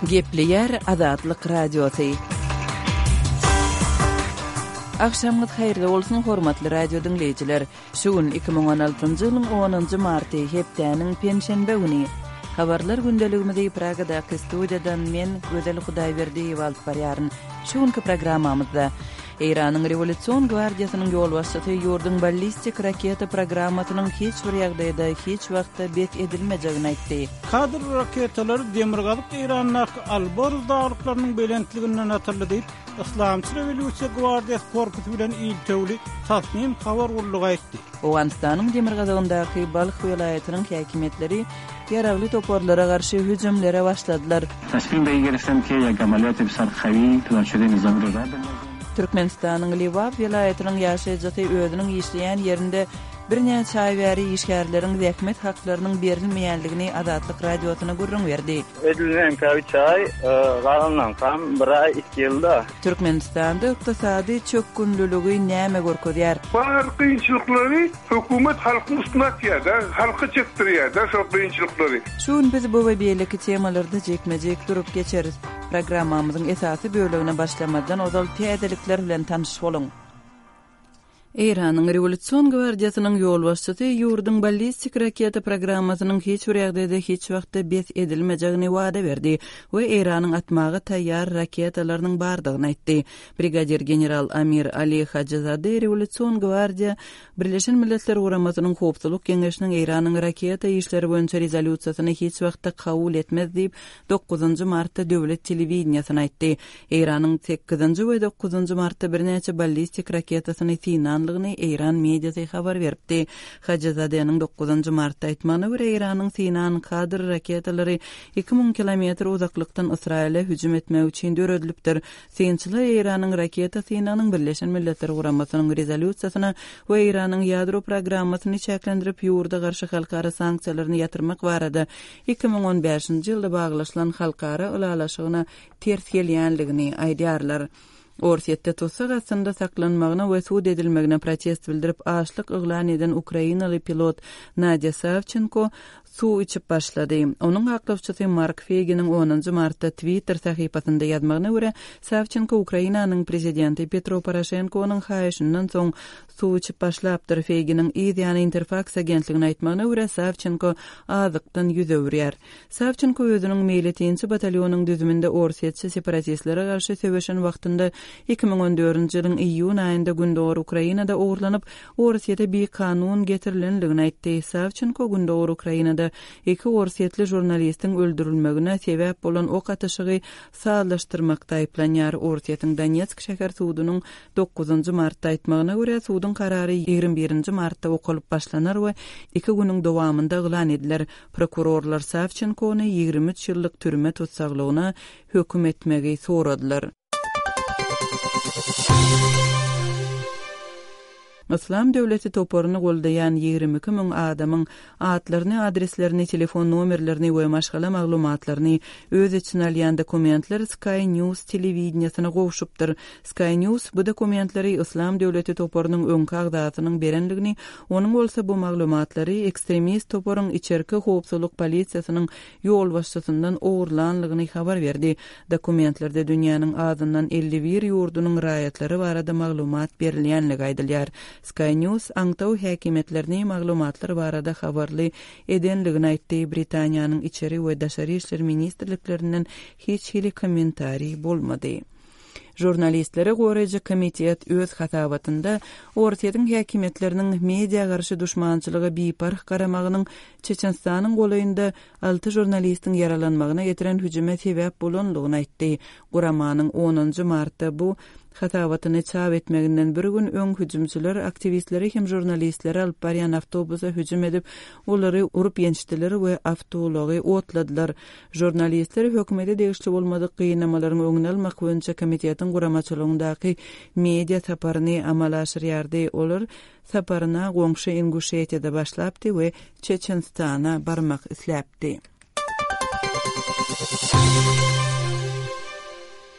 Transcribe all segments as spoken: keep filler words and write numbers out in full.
Gepleýär Azatlyk Radiosy. Agşamyňyz haýyrly bolsun, hormatly radio diňleýjiler! Şu gün iki müň on altynjy ýylyň onunjy marty, hepdäniň penşenbe güni. Habarlar gündeligimizi Pragadaky studiýadan men, Gözel Hudaýberdiýewa alyp barýaryn. Şu günki programmamyzda Eýranyň Rewolýusion gwardiýasynyň ýolbaşçysy ýurduň ballistik raketa programmasynyň hiç bir ýagdaýda, hiç wagtda bes edilmejegini aýtdy. Kadr raketalary demirgazyk Eýrandaky Alborz daglyklarynyň belentliginden atyldy diýip, Yslamçy rewolýusiýa gwardiýasy korpusy bilen iltewli Tasnim habar gullugy aýtdy. Owganystanyň demirgazygyndaky Balh welaýatynyň häkimiýetleri ýaragly toparlara garşy hüjümlere başladylar. Türkmenistanyň Lebap welaýatynyň ýaşaýjysy özüniň işleýän ýerinde birnäçe aý bäri işgärleriň zähmet haklarynyň berilmeýändigini Azatlyk Radiosyna gürrüň berdi. Edil meňkä üç aý, galanlaňkam bir aý, iki ýylda. Türkmenistanda ykdysady çökgünliligi näme görkezýär? Bar kynçylyklary hökümet halkyň üstüne atýar-da, halka çekdirýär-de şol kynçylyklary. Şu gün biz bu we beýleki temalarda jikme-jik durup geçeris. Programmamyzyň esasy bölegine başlamazdan ozal täzelikler bilen tanyş boluň. Eýranyň Rewolýusion gwardiýasynyň ýolbaşçysy ýurduň ballistik raketa programmasynyň hiç bir ýagdaýda hiç wagtda bes edilmejegini wada berdi we Eýranyň atmaga taýýar raketalarynyň bardygyny aýtdy. Brigadir general Amir Ali Hajyzade Rewolýusion gwardiýa Birleşen Milletler Guramasynyň Howpsuzlyk Geňeşiniň Eýranyň raketa işleri boýunça rezolýusiýasyny hiç wagtda kabul etmez diýip, dokuzynjy martda döwlet telewideniýesine aýtdy. Eýranyň sekizinji we dokuzynjy martda birnäçe ballistik raketasyny synanlygyny eýran mediasy habar beripdi. Hajyzadeniň dokuzynjy martda aýtmagyna görä, Eýranyň synan Kadr raketalary iki müň kilometr uzaklykdan Ysraýyla hüjüm etmek üçin döredilipdir. Synçylar Eýranyň raketa synagynyň Birleşen Milletler Guramasynyň rezolýusiýasyna we Eýranyň ýadro programmasyny çäklendirip, ýurda garşy halkara sanksiýalaryny ýatyrmak barada iki müň on bäşinji ýylda baglaşylan halkara ylalaşygyna ters gelýänligini aýdýarlar. Orsýetde tussag astynda saklanmagyna we sud edilmegine protest bildirip açlyk yglan eden ukrainaly pilot Nadýa Sawçenko suw içip başlady. Onuň aklawçysy Mark Feýginiň onunjy martda Twitter sahypasynda ýazmagyna görä, Sawçenko Ukrainanyň prezidenti Petro Poroşenkonyň haýyşyndan soň suw içip başlapdyr. Feýginiň yz ýany Interfaks agentligine aýtmagyna görä, Sawçenko azykdan ýüz öwürýär. Sawçenko özüniň meýletinçi batalýonyň düzüminde orsýetçi separatistlere garşy söweşen wagtynda iki müň on dördünji ýylyň iýun aýynda Gündogar Ukrainada ogurlanyp, Orsýete bikanun getirilendigini aýtdy. Sawçenko Gündogar Ukrainada iki orsýetli žurnalistiň öldürilmegine sebäp bolan ok atyşygy sazlaşdyrmakda aýyplanýar. Orsýetiň Donetsk şäher sudunyň dokuzynjy martda aýtmagyna görä, suduň karary ýigrimi birinji martda okalyp başlanar we iki günüň dowamynda yglan ediler. Prokurorlar Sawçenkony ýigrimi üç ýyllyk türme tussaglygyna höküm etmegi soradylar. Yslam döwleti toparyny goldaýan ýigrimi iki müň adamyň atlaryny, adreslerini, telefon nomerlerini we maşgala maglumatlaryny öz içine alýan dokumentler Sky News telewideniýesine gowşupdyr. Sky News bu dokumentleri Yslam döwleti toparynyň öňki agzasynyň berendigini, onuň bolsa bu maglumatlary ekstremist toparyň içerki howpsuzlyk polisiýasynyň ýolbaşçysyndan ogurlanlygyny habar berdi. Dokumentlerde dünýäniň azyndan elli bir ýurdunyň raýatlary barada maglumat berilýänligi aýdylýar. Sky News aňtaw häkimiýetlerini maglumatlar barada habarly edenligini aýtdy. Britaniýanyň içeri we daşary işler ministrliklerinden hiç hili kommentariý bolmady. Žurnalistlere goraýjy komitet öz hasabatynda Orsýetiň häkimiýetleriniň media garşy duşmançylyga biparh garamagynyň Çeçenistanyň golaýynda alty žurnalistiň ýaralanmagyna getiren hüjüme sebäp bolanlygyny aýtdy. Guramanyň onunjy martda bu hasabatyny çap etmeginden bir gün öň hüjümçiler aktiwistleri hem žurnalistleri alyp barýan awtobusa hüjüm edip, olary urup ýençdiler we awtoulagy otladylar. Žurnalistler hökümete degişli bolmadyk gynamalaryň öňüni almak boýunça komitetiň guramaçylygyndaky media saparyny amala aşyrýardy. Olar saparyna goňşy Inguşetiýada başlapdy we Çeçenistana barmak isläpdi.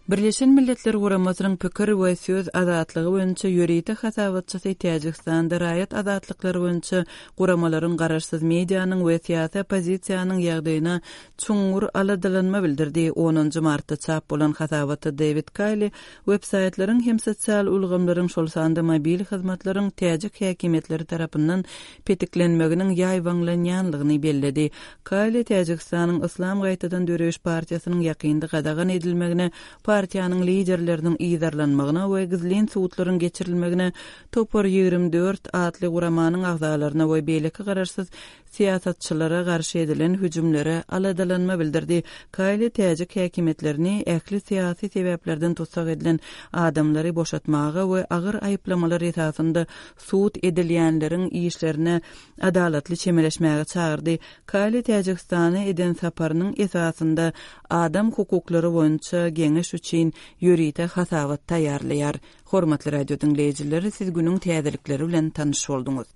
Birleşen Milletler Guramasynyň pikir we söz azatlygy boýunça ýörite hasabatçysy Täjigistanda raýat azatlyklary boýunça guramalaryň garaşsyz medianyň we syýasy oppozisiýanyň ýagdaýyna çuňňur aladalanma bildirdi. Onunjy martda çap bolan hasabatda Dewid Kaýli websaýtlaryň hem sosial ulgamlaryň, şol sanda mobil hyzmatlaryň täjik häkimiýetleri tarapyndan petiklenmeginiň ýaýbaňlanýanlygyny belledi. Kaýli Täjigistanyň Yslam gaýtadan döreýiş partiýasynyň ýakynda gadagan edilmegine, partiýanyň liderleriniň yzarlanmagyna we gizlin sudlaryň geçirilmegine, Topar ýigrimi dört atly guramanyň agzalaryna we beýleki garaşsyz syýasatçylara garşy edilen hüjümlere aladalanma bildirdi. Kaýli täjik häkimiýetlerini ähli syýasy sebäplerden tussag edilen adamlary boşatmaga we agyr aýyplamalar esasynda sud edilýänleriň işlerine adalatly çemeleşmäge çagyrdy. Kaýli Täjigistana eden saparynyň esasynda adam hukuklary boýunça geňeş üçin ýörite hasabat taýýarlaýar. Hormatly radio diňleýjileri, siz günüň täzelikleri bilen tanyş bolduňyz.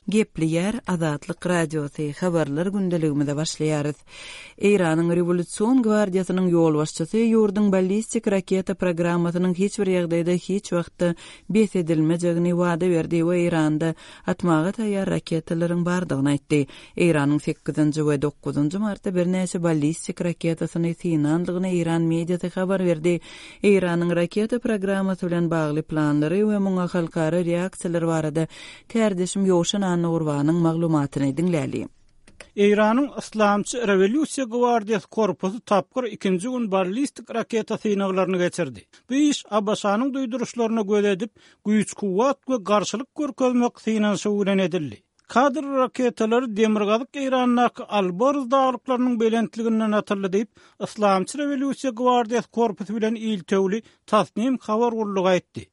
Gepleýär Azatlyk Radiosy, habarlar gündeligimize başlaýarys. Eýranyň Rewolýusion gwardiýasynyň ýolbaşçysy ýurduň ballistik raketa programmasynyň hiç bir ýagdaýda hiç wagtda bes edilmejegini wada berdi we Eýranda atmaga taýýar raketalaryň bardygyny aýtdy. Eýranyň sekizinji we dokuzynjy martda birnäçe ballistik raketasyny synandygyny Eýran mediasy habar berdi. Eýranyň raketa programmasy bilen bagly planlary we muňa halkara reaksiýalar barada kärdeşim Ýowşan Annagurbanyň maglumatyny diňläli. Eýranyň Yslamçy rewolýusiýa gwardiýasy korpusy tapgyr ikinji gün ballistik raketa synaglaryny geçirdi. Bu iş A B Ş-nyň duýduryşlaryna göz edip, güýç-kuwwat we garşylyk görkezmek synanyşygy bilen edildi. Kadr raketalary Demirgazyk Eýrandaky Alborz daglyklarynyň belentliginden atyldy diýip, Yslamçy rewolýusiýa gwardiýasy korpusy bilen iltewli Tasnim habar gullugy aýtdy.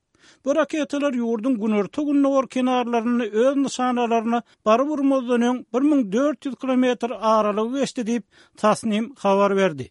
Bu raketalar ýurduň günorta-gündogar kenarlarynda öz nyşanalaryna baryp urmazdan öň bir müň dört ýüz kilometr aralygy geçdi diýip, Tasnim habar berdi.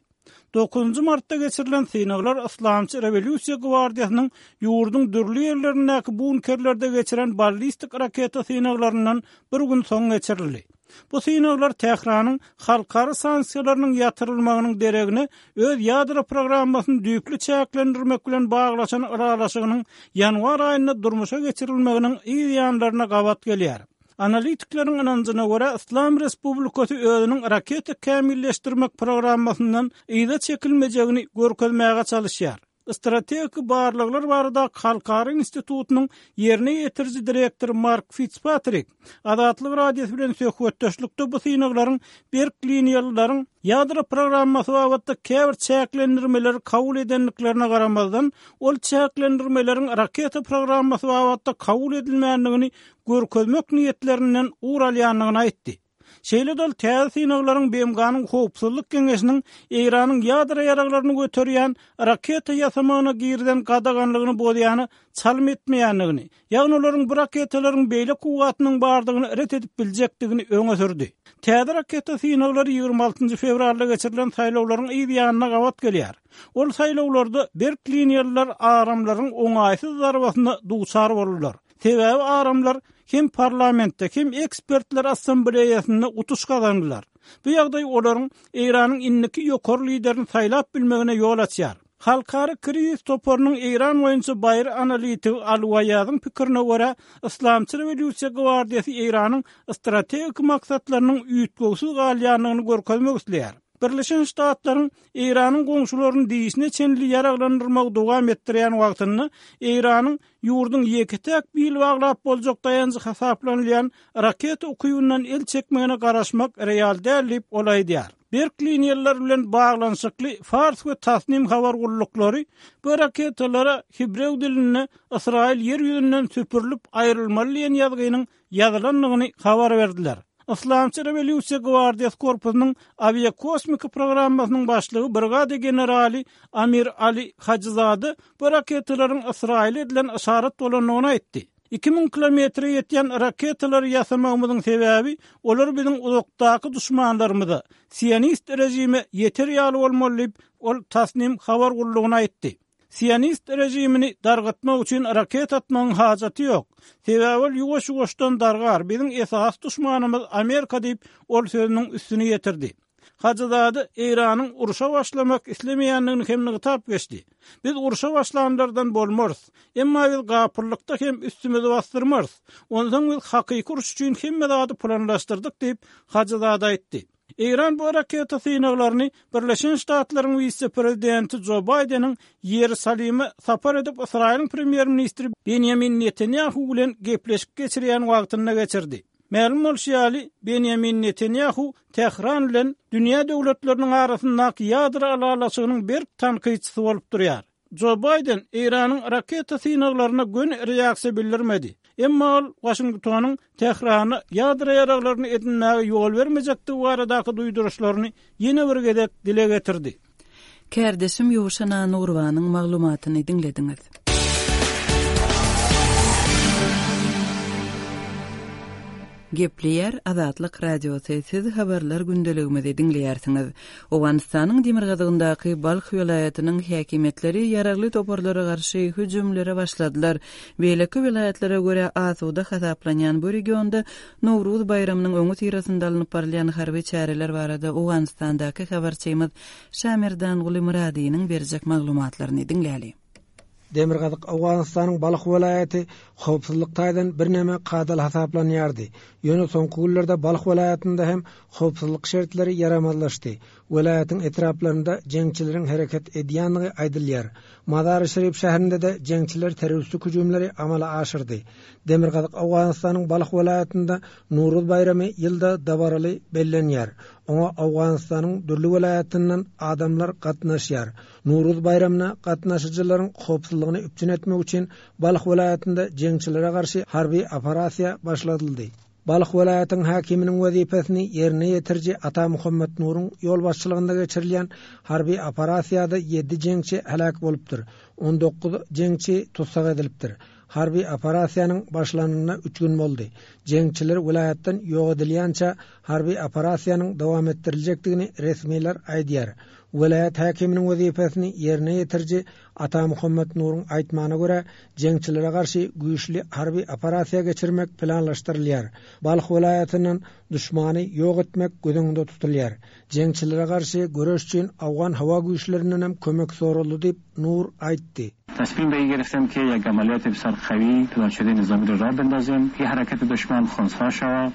Dokuzynjy martda geçirilen synaglar Yslamçy rewolýusiýa gwardiýasynyň ýurduň dürli ýerlerindäki bunkerlerde geçiren ballistik raketa synaglaryndan bir gün soň geçirildi. Bu synaglar Tähranyň halkara sanksiýalarynyň ýatyrylmagynyň deregine öz ýadro programmasyny düýpli çäklendirmek bilen baglaşan ylalaşygynyň ýanwar aýynda durmuşa geçirilmeginiň yz ýanlaryna gabat gelýär. Analitikleriň ynanjyna görä, Yslam Respublikasy özüniň raketa kämilleşdirmek programmasyndan yza çekilmejegini görkezmäge çalışýar. Strategik barlaglar barada Halkara institutynyň ýerine ýetiriji direktory Mark Fitzpatrick Azatlyk Radiosy bilen söhbetdeşlikde bu synaglaryň berk liniýalylaryň ýadro programmasy babatda käbir çäklendirmeleri kabul edendiklerine garamazdan, ol çäklendirmeleriň raketa programmasy babatda kabul edilmändigini görkezmek niýetlerinden ugur alýandygyny aýtdy. Şeýle-de ol täze synaglaryň B M G-nyň Howpsuzlyk Geňeşiniň Eýranyň ýadro ýaraglaryny göterýän raketa ýasamagyna girizen gadaganlygyny bozýany çalym etmeýändigini, ýagny olaryň bu raketalaryň beýle kuwwatynyň bardygyny ret edip biljekdigini öňe sürdi. Täze raketa synaglary ýigrimi altynjy fewralda geçirilen saýlawlaryň yz ýanyna gabat gelýär. Ol saýlawlarda berk liniýalylar aramlaryň oňaýsyz zarbasyna duçar boldular. Sebäbi aramlar hem parlamentde hem ekspertler assambleýasynda utuş gazandylar. Bu ýagdaý olaryň Eýranyň indiki ýokary liderini saýlap bilmegine ýol açýar. Halkara krizis toparynyň Eýran boýunça baýry analitigi Al-Waýazyň pikirine görä, Yslamçy rewolýusiýa gwardiýasy Eýranyň strategik maksatlarynyň üýtgewsiz galýandygyny görkezmek isleýär. Birleşen Ştatlaryň Eýranyň goňşularyny diýişine çenli ýaraglandyrmagy dowam etdirýän wagtynda Eýranyň ýurduň ýeke-täk bil baglap boljak daýanjy hasaplanylýan raketa ukybyndan el çekmegine garaşmak real däl diýip ol aýdýar. Berk liniýalar bilen baglanyşykly Fars we Tasnim habar gulluklary bu raketalara hebrew dilinde Ysraýyl ýer ýüzünden süpürilip aýrylmaly diýen ýazgynyň ýazylandygyny habar berdiler. Yslamçy rewolýusiýa gwardiýasy korpusynyň awiakosmika programmasynyň başlygy brigada generaly Amir Ali Hajyzade bu raketalaryň Ysraýyl edilen yşarat bolandygyny aýtdy. Iki müň kilometre ýetýän raketalary ýasamagymyzyň sebäbi olar biziň uzakdaky duşmanlarymyza, sionist rejime ýeter ýaly bolmaly diýip, ol Tasnim habar gullugyna aýtdy. Sionist rejimini dargatmak üçin raket atmagyň hajaty ýok. Sebäbi ol ýuwaş-ýuwaşdan dargar, biziň esas duşmanymyz Amerika diýip, ol sözüniň üstüni ýetirdi. Hajyzade Eýranyň urşa başlamak islemeýändigini hem nygtap geçdi. Biz urşa başlanlardan bolmarys. Emma biz gapyrlykda hem üstümizi bastyrmarys. Ondan biz hakyky uruş üçin hemme zady planlaşdyrdyk diýip Hajyzade aýtdy. Eýran bu raketa synaglaryny Birleşen Ştatlaryň wise-prezidenti Jo Baýdeniň Ýerusalime sapar edip Ysraýylyň premýer-ministri Benýamin Netanýahu bilen gepleşik geçirýän wagtynda geçirdi. Mälim bolşy ýaly, Benýamin Netanýahu Tähran bilen dünýä döwletleriniň arasyndaky ýadro ylalaşygynyň berk tankytçysy bolup durýar. Jo Baýden Eýranyň raketa synaglaryna göni reaksiýa bildirmedi. Emma ol Waşingtonyň Tährana ýadro ýaraglaryny edinmäge ýol bermejekdigi baradaky duýduryşlaryny ýene bir gezek dile getirdi. Kärdeşim Ýowşan Nurbanyň maglumatyny diňlediňiz. Gepleýär Azatlyk Radiosy, siz habarlar gündeligimizi diňleýärsiňiz. Owganystanyň demirgazygyndaky Balh welaýatynyň häkimiýetleri ýaragly toparlara garşy hüjümlere başladylar. Beýleki welaýatlara görä asuda hasaplanýan bu regionda Nowruz baýramynyň öňi syrasynda alnyp barylýan harby çäreler barada Owganystandaky habarçymyz Şamirdanguly Muradynyň berjek maglumatlaryny diňläli. Demirgazyk Owganystanyň Balh welaýaty howpsuzlyk taýdan birneme kadaly hasaplanýardy. Ýöne soňky günlerde Balh welaýatynda hem howpsuzlyk şertleri ýaramazlaşdy. Welaýatyň etraplarynda jeňçileriň hereket edýändigi aýdylýar. Mazar-i Şerif şäherinde-de jeňçiler terroristik hüjümleri amala aşyrdy. Demirgazyk Owganystanyň Balh welaýatynda Nowruz baýramy ýylda dabaraly bellenýär. Oňa Owganystanyň dürli welaýatyndan adamlar gatnaşýar. Nowruz baýramyna gatnaşyjylaryň howpsuzlygyny üpjün etmek üçin Balh welaýatynda jeňçilere garşy harby operasiýa başladyldy. Balh welaýatyň häkiminiň wezipesini ýerine ýetiriji Ata Muhammed Nuruň ýolbaşçylygynda geçirilýän harby operasiýada ýedi jeňçi heläk bolupdyr. On dokuz jeňçi tussag edilipdir. Harby operasiýanyň başlanyna üç gün boldy. Jeňçiler welaýatdan ýok edilýänçä harby operasiýanyň dowam etdiriljekdigini resmiler aýdýar. Welaýat häkiminiň wezipesini ýerine ýetiriji Ata Muhammed Nuruň aýtmagyna görä, jeňçilere garşy güýçli harby operasiýa geçirmek planlaşdyrylýar. Balh welaýatyndan düşmany ýok etmek göz öňünde tutulýar. Jeňçilere garşy göreş üçin Awgan howa güýçlerinden hem kömek soraldy diýip Nur aýtdy. تصمیم به این گرفتم که یک عملیات بسیار قوی پلان شده نظامی را راه بندازیم که حرکت دشمن خنثی شود.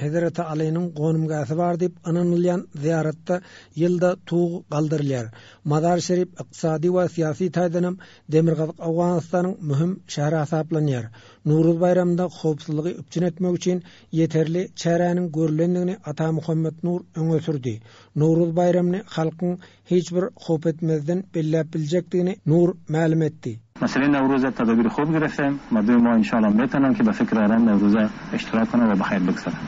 Hezreti Alynyň gonamgähi bar diýip ynanylýan ziýaratda ýylda tug galdyrylýar. Mazar Şerif ykdysady we syýasy taýdan hem Demirgazyk Owganystanyň möhüm şäheri hasaplanýar. Nowruz baýramynda howpsuzlygy üpjün etmek üçin ýeterli çäräniň görülendigini Ata Muhammed Nur öňe sürdi. Nowruz baýramyny halkyň hiç bir howp etmezden belläp biljekdigini Nur mälim etdi. مسئله نوروز تدابیر خوب گرفتیم. مردم ما انشاءالله میتونن که به فکر آرام نوروز اشتراک کنن و به خیر بگذرن.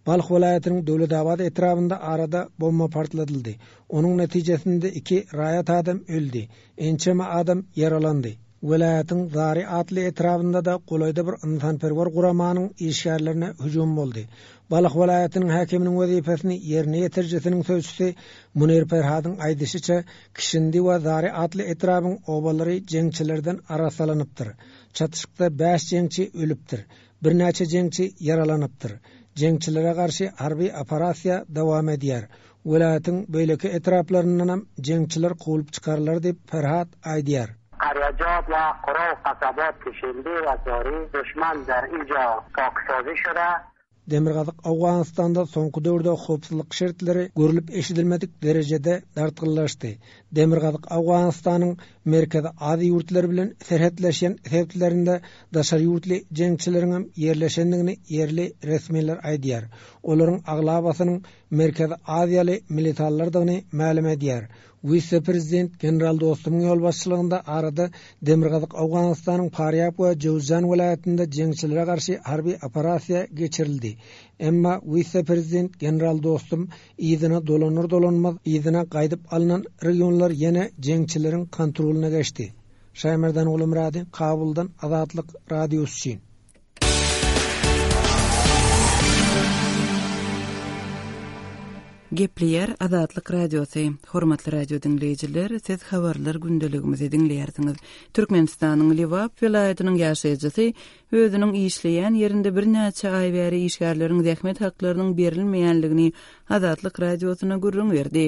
Balh welaýatynyň Döwletabad etrabynda arada bomba partladyldy. Onuň netijesinde iki raýat adam öldi. Ençeme adam ýaralandy. Welaýatyň Zari atly etrabynda da golaýda bir ynsanperwer guramanyň işgärlerine hüjüm boldy. Balh welaýatynyň häkiminiň wezipesini ýerine ýetirijisiniň sözçüsi Munir Ferhadyň aýdyşyça Kişindi we Zari atly etrabyň obalary jeňçilerden arasalanypdyr. Çatyşykda bäş jeňçi ölüpdir. Birnäçe jeňçi ýaralanypdyr. Jeňçilere garşy harby operasiýa dowam edýär. Welaýatyň beýleki etraplaryndan hem jeňçiler kowulyp çykarlar diýip Ferhat aýdýar. قریجات و قرا و قصبات کشنده و زاری دشمن در اینجا پاکسازی شده. Demirgazyk Owganystanda soňky döwürde howpsuzlyk şertleri görülip eşidilmedik derejede dartgynlaşdy. Demirgazyk Owganystanyň Merkezi Aziýa ýurtlary bilen serhetleşen sebitlerinde daşary ýurtly jeňçileriň hem ýerleşendigini ýerli resmiler aýdýar. Olaryň aglabasynyň Merkezi Aziýaly militarlardygyny mälim edýär. Wise-prezident General Dostumyň ýolbaşçylygynda arada Demirgazyk Owganystanyň Farýab we Jowzjan welaýatynda jeňçilere garşy harby operasiýa geçirildi. Emma wise-prezident General Dostum yzyna dolanır dolanmaz yzyna gaýdyp alynan regionlar ýene jeňçileriň kontrolyna geçdi. Şaýmerdan Gulumyrady, Kabuldan Azatlyk Radiosy üçin. Gepleýär Azatlyk Radiosy. Hormatly radio diňleýjiler, siz habarlar gündeligimizi diňleýärsiňiz. Türkmenistanyň Lebap welaýatynyň ýaşaýjysy özüniň işleýän ýerinde birnäçe aý bäri işgärleriň zähmet haklarynyň berilmeýänligini Azatlyk Radiosyna gürrüň berdi.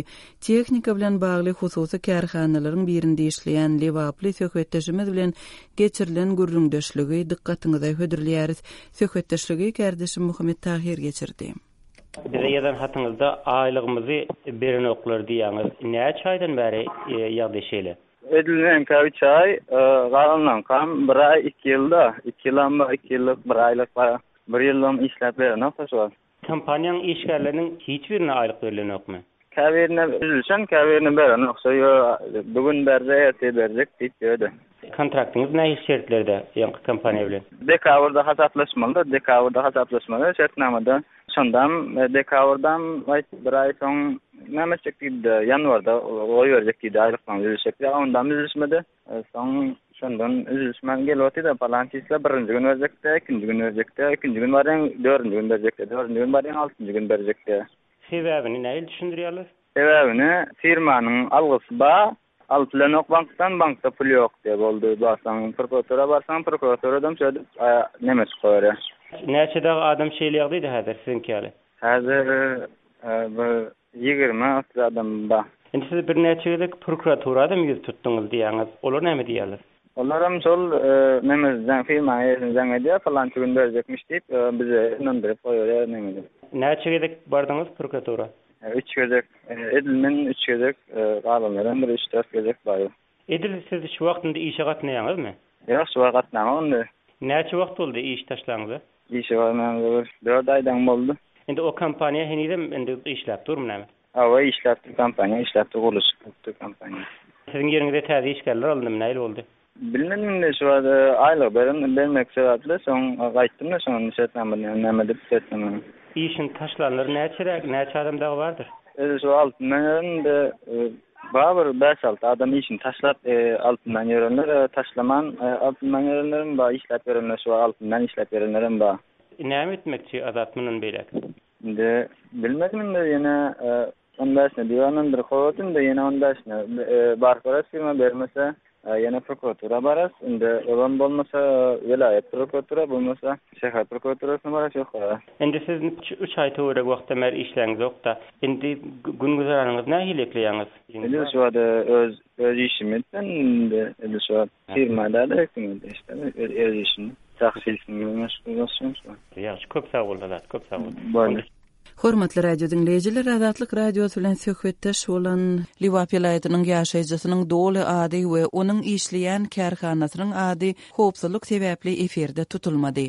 Tehnika bilen bagly hususy kärhanalaryň birinde işleýän lebaply söhbetdeşimiz bilen geçirilen gürrüňdeşligi dykgatyňyza hödürleýäris. Söhbetdeşligi kärdeşim Muhammet Tahir geçirdi. Bize ýazan hatyňyzda aýlygymyzy berenoklar diýýäňiz. Näçe aýdan bäri ýagdaý şeýle? Edil meňkä üç aý, galanlaňkam bir aý, iki ýylda, iki ýylam bar, iki ýyllyk, bir aýlyk bar. Bir ýyllam işläp berenok şu wagt. Kompaniýaň işgärleriniň hiç birine aýlyk berilenokmy? Käbirine üzülşen, käbirine berenok. Şo bu gün berjek, ertir berjek diýip ýördi. Kontraktyňyz nähili şertlerde ýaňky kompaniýa bilen? Dekabrda hasaplaşmaly, dekabrda hasaplaşmaly şertnamada. Şondam dekabrdan bir aý soň näme etjek diýdi, ýanwarda goýberjek diýdi, aýlykdan üzülşek. Ýa ondan üzülşmedi. Soň şondan üzülşmän gelip otyrdy, palan çisla birinji gün berjekdi, ikinji gün berjekdi, ikinji gün barýan, dördünji gün berjekdi, dördünji gün barýan, altynjy gün berjekdi. Sebäbini nähili düşündirýärler? Sebäbini firmanyň algysy bar, alyp bilenok bankdan, bankda pul ýok diýip boldy. Barsaň prokuratura barsaň, prokuraturadan şöyle neme çykyp Näçe dagy adam şeýle ýagdaýda häzir siziňki ýaly? Häzir bir ýigrimi otuz adam bar. Indi siz birnäçe gezek prokuraturada ýüz tutduňyz diýýäňiz. Olar näme diýýärler? Olaram şol neme firma eýesine jaň edýär, falança gün berjekmiş diýip, bize ynandyryp goýýar neme. Näçe gezek bardyňyz prokuratura? Üç gezek, edil men üç gezek, galanlaram bir üç dört gezek bar. Edil siz şu wagtynda işe gatnaýaňyzmy? Ýok, şu wagt gatnamam indi. Näçe wagt boldy iş taşlaňyza? Işe barmaňyza bir dört aýdan boldy. Indi o kompaniýa henizem indi işläp durmy näme? Hawa, işläp dur kompaniýa, işläp dur gurluşyk kompaniýa. Siziň ýeriňize täze işgärler alyndymy, nähili boldy? Bilmedim indi şu wagt aýlyk beren bermek sebäpli soň gaýtdym da şoň şertnamany näme edip şertnamany. Işini taşlanlar näçeräk, näçe adam dagy bardyr? Özi şu altyndan ýören bar bir bäş alty adam işini taşlap altyndan ýörenler, taşlaman altyndan ýörenlerim bar, işläp ýörenler şu altyndan işläp ýörenlerim bar. Näme etmekçi Azat mundan beýläk? Indi bilmedim indi ýene on bäşine diýýän bir kowat indi ýene on bäşine baryp görers firma bermese ýene prokuratura bararys. Indi olam bolmasa welaýat prokuratura bolmasa şäher prokuraturasyna bararys ýok. Indi siz üç aý töweregi wagtdan bäri işläňiz ýok-da. Indi gün güzeranyňyz nähili ekleýäňiz? Indi şu wagt öz öz işimi etdim indi indi şu wagt firmada da etdim işte öz işimi. Şahsy işimi meşgul bolsun. Ýagşy, köp sag bol Azat, köp sag bol. Boldy. Hormatly radio diňleýjiler, Azatlyk Radiosy bilen söhbetdeş bolan Lebap welaýatynyň ýaşaýjysynyň doly ady we onuň işleýän kärhanasynyň ady howpsuzlyk sebäpli efirde tutulmady.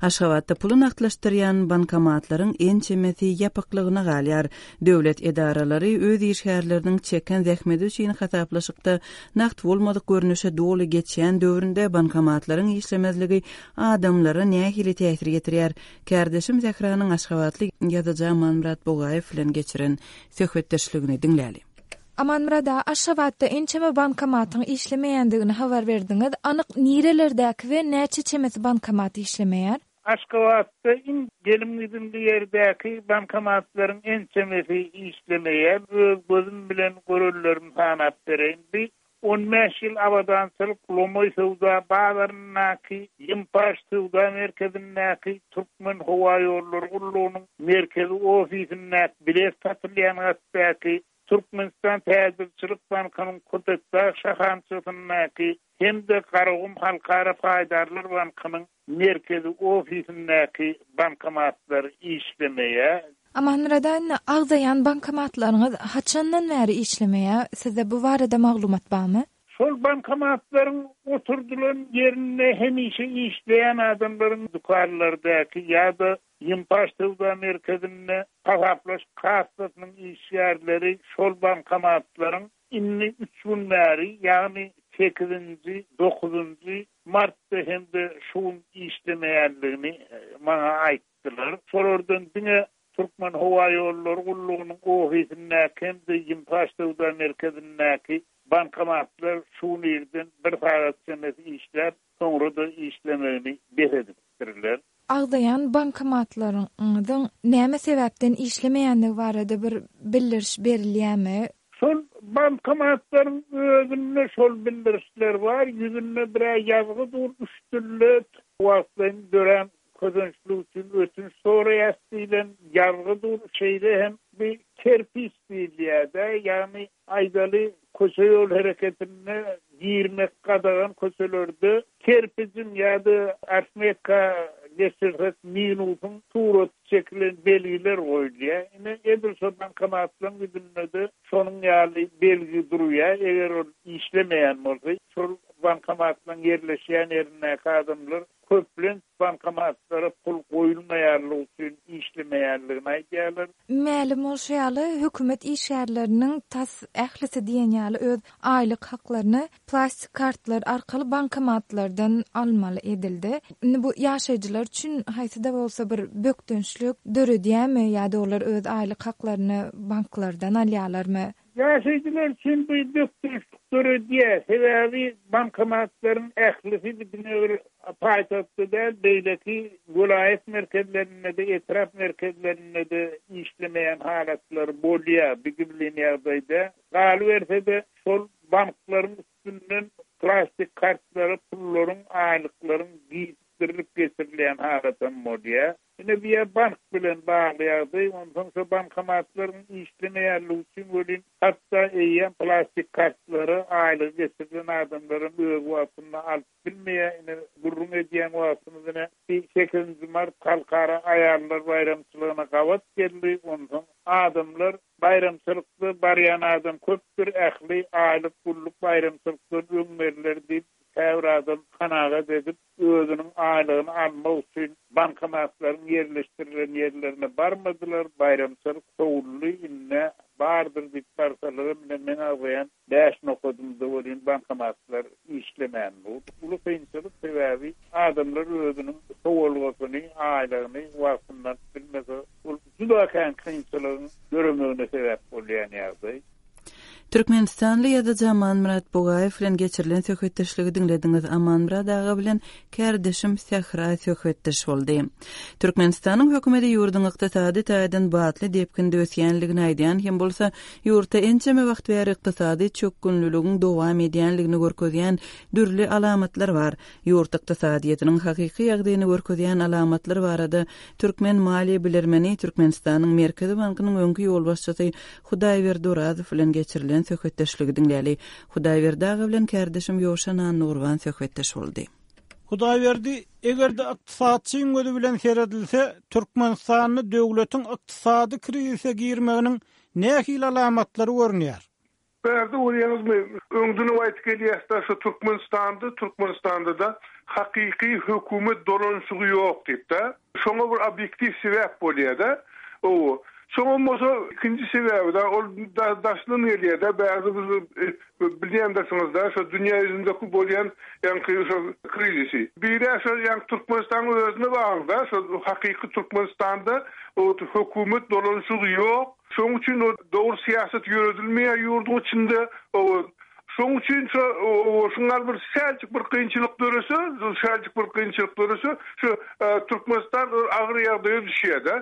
Aşgabatda puly nagtlaşdyrýan bankomatlaryň ençemesi ýapyklygyna galýar. Döwlet edaralary öz işgärleriniň çeken zähmeti üçin hasaplaşykda nagt bolmadyk görnüşe doly geçýän döwründe bankomatlaryň işlemezligi adamlara nähili täsir getirýär? Kärdeşim Zehranyň Aşgabatly ýazyjy Amanmyrat Bugaýew bilen geçiren söhbetdeşligini diňläli. Amanmyrat aga, Aşgabatda ençeme bankomatyň işlemeýändigini habar berdiňiz. Anyk nirelerdäki we näçe çemesi bankomat işlemeýär? Aşgabatda iň gelim-gidimli ýerdäki bankomatlaryň ençemesi işlemeýär. Öz gözüm bilen görenlerimi sanap bereýin. Bir on bäş ýyl abadançylyk Lomoý söwda bazaryndaky, Ýimpaş söwda merkezindäki, Türkmen howa ýollary gullugynyň merkezi ofisindäki bilet satylýan gatdaky, Türkmenistan Täjirçilik Bankynyň Köpetdag şahamçasyndaky hem-de Garagum Halkara Paýdarlar Bankynyň merkezi ofisindäki bankomatlar işlemeýär. Amanmyrat aga, agzaýan bankomatlaryňyz haçandan bäri işlemeýär? Sizde bu barada maglumat barmy? Şol bankomatlaryň oturdylan ýerinde hemişe işleýän adamlaryň dükanlardaky ýa-da Ýimpaş söwda merkezinde hasaplaşyk kassasynyň işgärleri şol bankomatlaryň indi üç gün bäri, ýagny sekizinji, dokuzynjy martda hem-de şu gün işlemeýänligini maňa aýtdylar. Şolardan diňe Türkmenhowaýollary gullugynyň ofisindäki hem-de Ýimpaş söwda merkezindäki bankomatlar şu gün irden bir sagat çemesi işläp, soňra-da işlemegini bes edipdirler. Agzaýan bankomatlaryňyzyň näme sebäpden işlemeýändigi barada bir bildiriş berilýärmi? Şol bankomatlaryň özünde şol bildirişler bar, ýüzünde bir-ä ýazgy dur, üç dilde wagtlaýyn dörän kösençlik üçin ötünç soraýas diýlen ýazgy dur, şeýle hem bir kerpiç diýilýär-de, ýagny aýdaly köçe-ýol hereketinde girmek gadagan köçelerde kerpijiň ýa-da arifmetika geçirsek minusyň suraty çekilen belgiler goýulýar. Ine, edil şo bankomatlaryň ýüzünde-de şonuň ýaly belgi durýar. Eger ol işlemeýän bolsa, şol bankomatlaryň ýerleşýän ýerindäki adamlar köplenç bankomatlara pul goýulmaýanlygy üçin işlemeýänligini aýdýarlar. Mälim bolşy ýaly, hökümet işgärleriniň tas ählisi diýen ýaly öz aýlyk haklaryny plastik kartlar arkaly bankomatlardan almaly edildi. Indi bu ýaşaýjylar üçin haýsy-da bolsa bir bökdençlik döredýärmi ýa-da olar öz aýlyk haklaryny banklardan alýarlarmy? Ýaşaýjylar üçin bu bökdençlik döredýär. Sebäbi bankomatlaryň ählisi diňe bir paýtagtda däl, beýleki welaýat merkezlerinde-de, etrap merkezlerinde-de işlemeýän halatlar bolýar bu gizlin ýagdaýda. Galyberse-de, şol banklaryň üstünden plastik kartlara pullaryň, aýlyklaryň gijikdirilip getirilýän halatam bolýar. Ine bu ýer bank bilen bagly ýagdaý, onsoň şo bankomatlaryň işlemeýänligi üçin welin hatda eýýäm plastik kartlary aýlygy geçirilen adamlaram öz wagtynda alyp bilmeýär. Ine gürrüň edýän wagtymyz ine sekizinji mart halkara aýallar baýramçylygyna gabat geldi. Onsoň adamlar baýramçylykda barýan adam köpdür, ähli aýlyk gulluk baýramçylykdan öň berler diýip käbir adam kanagat edip, özüniň aýlygyny almak üçin bankomatlaryň ýerleşdirilen ýerlerine barmadylar, baýramçylyk sowuldy, indi bardyr diýip barsalaram ine meň agzaýan bäş nokadymda welin bankomatlar işlemän dur. Uly kynçylyk sebäbi adamlar özüniň sowalgasyny, aýlygyny wagtynda alyp bilmese, ol juda kän kynçylygyň döremegine sebäp bolýan ýagdaý. Türkmenistanly ýazyjy Amanmyrat Bugaýew bilen geçirilen söhbetdeşligi diňlediňiz. Amanmyrat aga bilen kärdeşim Sähra söhbetdeş boldy. Türkmenistanyň hökümeti ýurduň ykdysady taýdan batly depginde ösýänligini aýdýan hem bolsa, ýurtda ençeme wagt bäri ykdysady çökgünliligiň dowam edýänligini görkezýän dürli alamatlar bar. Ýurt ykdysadyýetiniň hakyky ýagdaýyny görkezýän alamatlar barada türkmen maliýe bilermeni Türkmenistanyň Merkezi bankynyň öňki ýolbaşçysy Hudaýberdi Orazow bilen geçirilen söhbetdeşligi diňläli. Hudaýberdi aga bilen kärdeşim Ýowşan Annagurban söhbetdeş boldy. Hudaýberdi, eger-de ykdysatçyň gözi bilen seredilse, Türkmenistanda döwletiň ykdysady krizise girmeginiň nähili alamatlary görünýär? Bärde görýäňizmi, öňden aýdyp gelýäs-de, şu Türkmenistanda, Türkmenistanda-da hakyky hökümet dolanyşygy ýok diýip-de, şoňa bir obýektiw sebäp bolýar-da. O, şoňa bolsa ikinji sebäbi da ol daşdan gelýär-de, bärde biz bilýändirsiniz-de, şu dünýä ýüzündäki bolýan ýaňky şu krizisi. Biri şu ýaňky Türkmenistanyň özüne bagly-da, şu hakyky Türkmenistanda o hökümet dolanyşygy ýok. Şonuň üçin o dogry syýasat ýöredilmeýär ýurduň içinde. O şonuň üçin şu o şuňa bir säljik bir kynçylyk dörese, säljik bir kynçylyk dörese, şu Türkmenistan agyr ýagdaýa düşýär-de.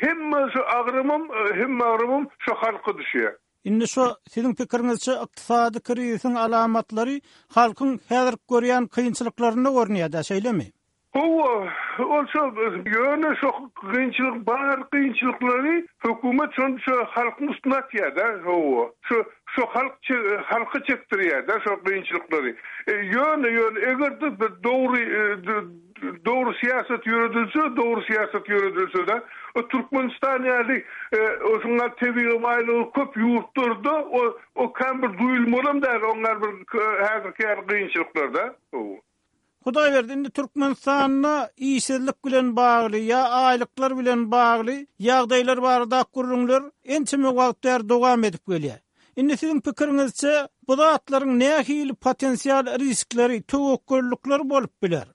Hemme şu agramym, hemme agramym şu halka düşýär. Indi şu siziň pikiriňizçe ykdysady krizisiň alamatlary halkyň häzir görýän kynçylyklarynda görünýär-de, şeýlemi? Hawa, ol şo ýöne şo kynçylyk bar kynçylyklary hökümet şony şo halkyň üstüne atýar-da, hawa. Şo şo halk halka çekdirýär-de şo kynçylyklary. Ýöne ýöne eger-de dogry dogry syýasat ýöredilse, dogry syýasat ýöredilse-de, o Türkmenistan ýaly şuňa tebigy baýlygy köp ýurtlarda o o kan bir duýulmalam däl, oňlar bir häzirki ýaly kynçylyklarda. Hawa. Hudaýberdi, indi Türkmenistanda işsizlik bilen bagly ýa aýlyklar bilen bagly ýagdaýlar barada gürrüňler ençeme wagt bäri dowam edip gelýär. Indi siziň pikiriňizçe bu zatlaryň nähili potensial riskleri, töwekgellikleri bolup biler?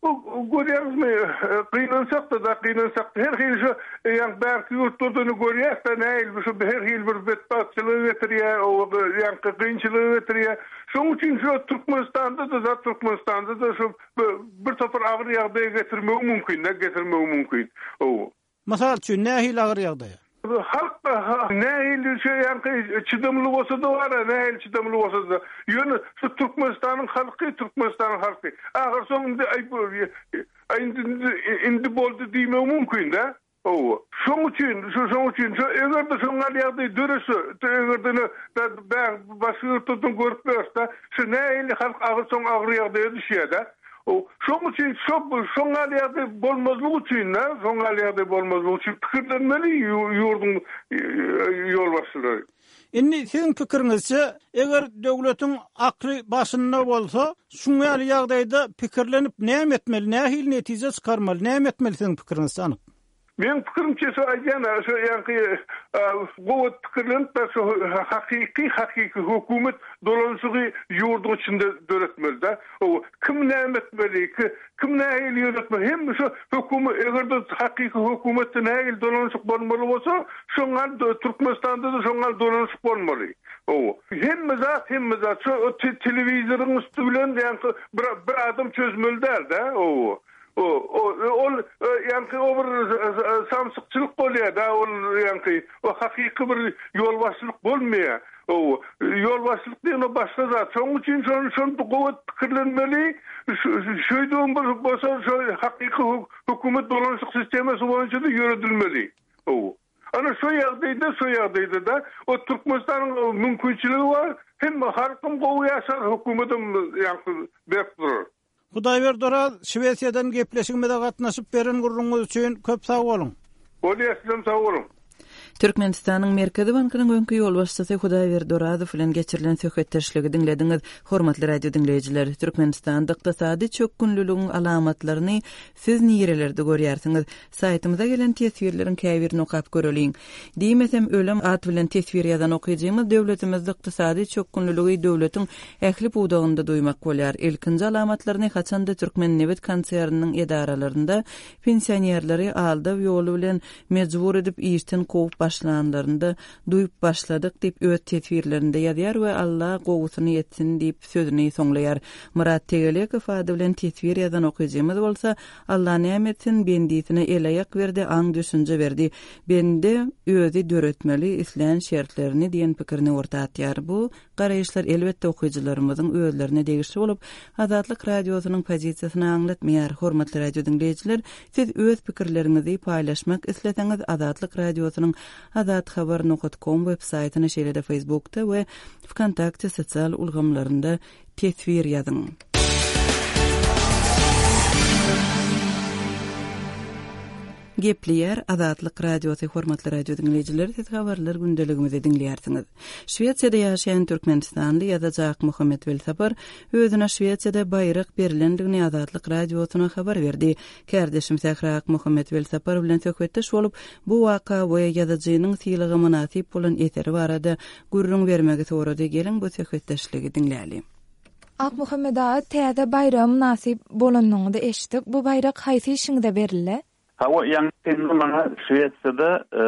Görýäňizmi, gynansak-da, gynansak her hili şu ýa bärki ýurtlardan görýäs-de nähili şu her hili bir betbagtçylygy getirýär, o ýa kynçylygy getirýär. Şonuň üçin şu Türkmenistanda da Türkmenistanda da şu bir topar agyr ýagdaýa getirmegi mümkin, getirmegi mümkin. O. Mysal üçin nähili agyr ýagdaýa? Halk nähili şu ýa çydamly bolsa da bar, nähili çydamly bolsa da. Ýöne şu Türkmenistanyň halky, Türkmenistanyň halky. Ahyr soňunda aý indi indi boldy diýmek mümkin de. O. Şoň üçin, şu şoň üçin şu eger de şoň ýagdaý dörese, eger de başga ýurtlardan görüp berse, şu nähili halk agyr soň agyr ýagdaýa düşýär de. O şoň üçin şo şoň ýagdaý bolmazlyk üçin de, şoň ýagdaý bolmazlyk üçin pikirlenmeli ýurduň ýolbaşçylary. Indi siziň pikiriňizçe, eger döwletiň akly başynda bolsa, şuň ýaly ýagdaýda pikirlenip näme etmeli, nähili netije çykarmaly, näme etmeli siziň pikiriňizçe anyk? Men pikirimçe şu aýdýan, şu ýaňky gowy pikirlenip şu hakyky hakyky hökümet dolanşygy ýurduň içinde döretmeli de. O kim näme etmeli, kim nähili ýöretmeli, hem şu hökümet eger de hakyky hökümetde nähili dolanşyk bolmaly bolsa, şoňa Türkmenistanda da şoňa dolanşyk bolmaly. O hem zat, hem zat şu telewizoryň üstü bilen ýaňky bir, bir adam çözmeli däl de. O O, o, ol ýaňky o bir samsykçylyk bolýar da, ol ýaňky o hakyky bir ýolbaşçylyk bolmaýar. O ýolbaşçylyk diýen o başga zat. Şonuň üçin şonu şonu gowy pikirlenmeli. Şeýdüm bir bolsa şu hakyky hökümet dolanşyk sistemasy boýunça da ýöredilmeli. O. Ana şu ýagdaýda, şu ýagdaýda da o Türkmenistanyň mümkinçiligi bar. Hem halkym gowy ýaşar, hökümetim ýaňky berk durar. Hudaýberdi Oraz, Şwesiýadan gepleşigimize gatnaşyp beren gurruňyz üçin köp sag boluň. Bolýar, sizem sag boluň. Türkmenistanyň Merkezi Bankynyň öňki ýolbaşçysy Hudaýberdi Orazow bilen geçirilen söhbetdeşligi diňlediňiz. Hormatly radio diňleýjiler, Türkmenistanda ykdysady çökgünliligiň alamatlaryny siz nirelerde görýärsiňiz? Saýtymyza gelen teswirleriň käbirini okap göreliň. Diýmesem ölüm at bilen teswir ýazan okyjymyz döwletimizde ykdysady çökgünliligi döwletiň ähli pudagynda duýmak bolýar. Ilkinji alamatlaryny haçanda Türkmen nebit konserniniň edaralarynda pensionerleri aldaw ýoly bilen mejbur edip işden kowup başlanlarynda duýup başladyk diýip öz teswirlerinde ýazýar we Allah gowusyny etsin diýip sözüni soňlaýar. Murat Tegelekow ady bilen teswir ýazan okyjymyz bolsa Allah näme etsin bendisine el aýak berdi, aň düşünje berdi. Bende özi döretmeli islän şertlerini diýen pikirini orta atýar. Bu garaýyşlar elbetde okyjylarymyzyň özlerine degişli bolup, Azatlyk radiosynyň pozisiýasyny aňlatmaýar. Hormatly radio diňleýjiler, siz öz pikirleriňizi paýlaşmak isleseňiz Azatlyk radiosynyň azathabar nokta com web saýtyna, şeýle-de Facebookda we VKontakte sosial ulgamlarynda teswir ýazyň. Gepleýär Azatlyk radiosy hormatly radio diňleýjiler, siz habarlar gündeligimizi diňleýärsiňiz. Şwesiýada ýaşaýan Türkmenistanly ýazyjy Akmuhammet Welsapar özüne Şwesiýada baýrak berlendigini Azatlyk radiosyna habar berdi. Kärdeşim Sähra Akmuhammet Welsapar bilen söhbetdeş bolup, bu waka we ýazyjynyň sylaga mynasyp bolan eseri barada gürrüň bermegi sorady. Geliň bu söhbetdeşligi diňläli. Akmuhammet aga täze baýraga mynasyp bolanyňyzy eşitdik. Bu baýrak haýsy işiňize berildi? Hawa, ýaňy maňa Şwesiýada e,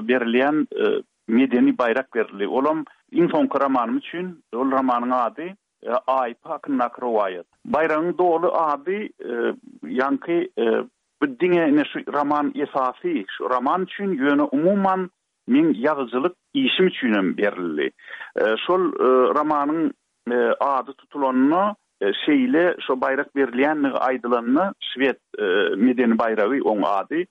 berilýän e, medeni baýrak berildi. Olam iň soňky romanym üçin, ol romanyň ady e, Aýpa hakyndaky rowaýat. Baýragyň doly ady e, ýaňky e, bu diňe ine şu roman esasy, şu roman üçin ýöne umuman meň ýazyjylyk işim üçin hem berildi. E, şol e, romanyň e, ady tutulanyna şeýle şo baýrak berilýänligi aýdylanyna şwed e, medeni baýragy oň ady.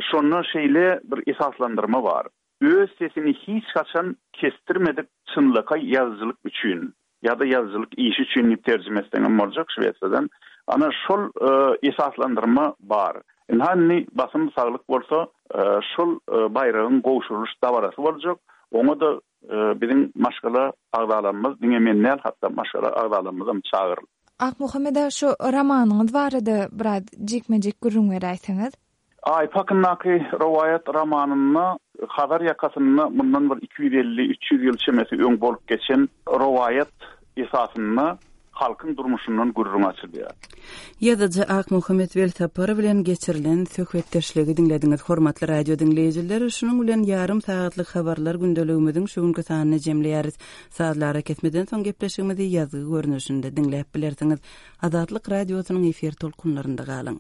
Şonda şeýle bir esaslandyrma bar. Öz sesini hiç haçan kestirmedik çynlakaý ýazyjylyk üçin ýa-da ýazyjylyk işi üçin diýip terjime etseňem boljak Şwesiýadan. Ana şol e, esaslandyrma bar. Indi basym saglyk bolsa e, şol e, baýragyň gowşurylyş dabarasy boljak. Oňa da e, biziň maşgala agzalarymyz diňe men däl, hatda maşgala agzalarymyz hem çagyryldy. Akmuhammet aga, şu romanyňyz barada biraz jikme-jik gürrüň beräýseňiz. Aýpa hakyndaky rowaýat romanynda Hazar ýakasynda mundan bir iki ýüz elli, üç ýüz ýyl çemesi öň bolup geçen rowaýat esasynda Halkyň durmuşyndan gürrüň açylýar. Ýazyjy Akmuhammet Welsapar bilen geçirilen söhbetdeşligi diňlediňiz, hormatly radio diňleýjiler. Şunuň bilen ýarym sagatlyk habarlar gündeligimiziň şu günki sanyny jemleýäris. Sazly arakesmeden soň gepleşigimizi ýazgy görnüşinde diňläp bilersiňiz. Azatlyk Radiosynyň efir tolkunlarynda galyň.